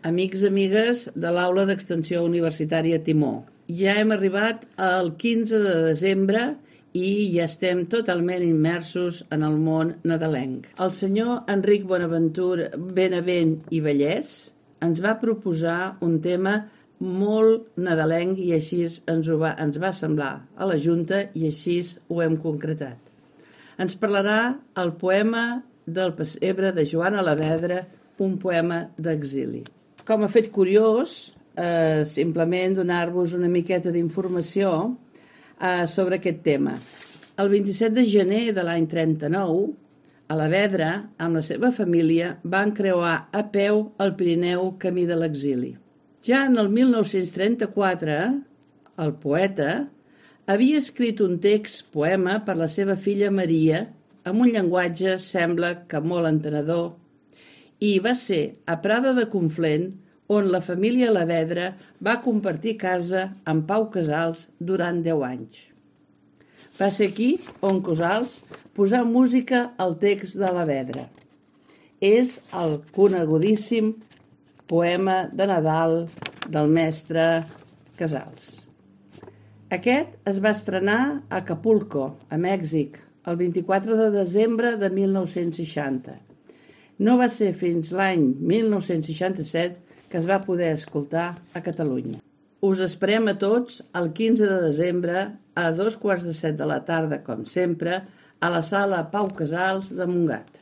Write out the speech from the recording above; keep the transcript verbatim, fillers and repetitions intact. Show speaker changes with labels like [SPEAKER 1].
[SPEAKER 1] Amics, amigues de l'Aula d'Extensió Universitària Timó, ja hem arribat al quinze de desembre i ja estem totalment immersos en el món nadalenc. El senyor Enric Bonaventura Benavent i Vallès ens va proposar un tema molt nadalenc i així ens, ho va, ens va semblar a la Junta i així ho hem concretat. Ens parlarà el poema del pessebre de Joan Alavedra, un poema d'exili. Com a fet curiós, eh, simplement donar-vos una miqueta d'informació eh, sobre aquest tema. El vint-i-set de gener de l'any trenta-nou, Alavedra, amb la seva família, van creuar a peu el Pirineu camí de l'exili. Ja en el mil nou-cents trenta-quatre, el poeta havia escrit un text poema per la seva filla Maria, amb un llenguatge, sembla que molt entenedor, i va ser a Prada de Conflent on la família Alavedra va compartir casa amb Pau Casals durant deu anys. Va ser aquí on Casals posà música al text de Alavedra. És el conegudíssim poema de Nadal del mestre Casals. Aquest es va estrenar a Acapulco, a Mèxic, el vint-i-quatre de desembre de mil nou-cents seixanta. No va ser fins l'any mil nou-cents seixanta-set que es va poder escoltar a Catalunya. Us esperem a tots el quinze de desembre a dos quarts de set de la tarda, com sempre, a la sala Pau Casals de Montgat.